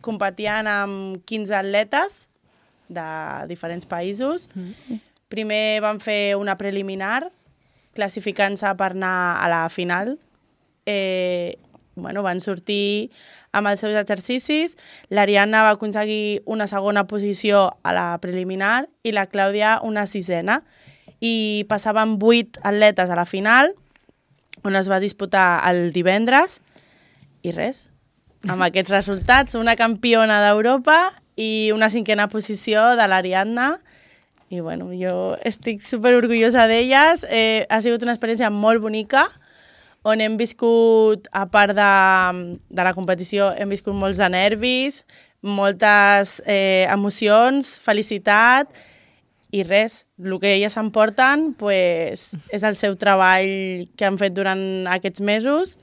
competien amb 15 atletes de diferents països. Primer van fer una preliminar, classificant-se per anar a la final. Van sortir amb els seus exercicis. L'Ariadna va aconseguir una segona posició a la preliminar i la Clàudia una sisena. I passaven 8 atletes a la final, on es va disputar el divendres. I res, amb aquests resultats, una campiona d'Europa i una 5a posició de l'Ariadna. I jo estic superorgullosa d'elles. Ha sigut una experiència molt bonica, on hem viscut, a part de la competició, hem viscut molts de nervis, moltes emocions, felicitat, i res, el que elles s'emporten és el seu treball que han fet durant aquests mesos